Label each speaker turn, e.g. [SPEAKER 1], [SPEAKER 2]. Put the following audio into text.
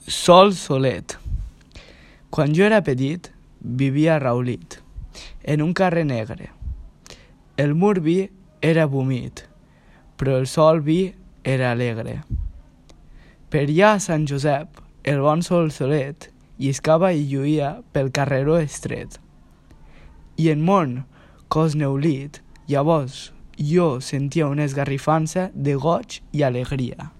[SPEAKER 1] Sol solet. Quan jo era petit, vivia a Raulit, en un carrer negre. El mur vi era vomit, però el sol vi era alegre. Per allà a Sant Josep, el bon sol solet, lliscava i lluïa pel carreró estret. I en mon cos neulit, llavors jo sentia una esgarrifança de goig i alegria.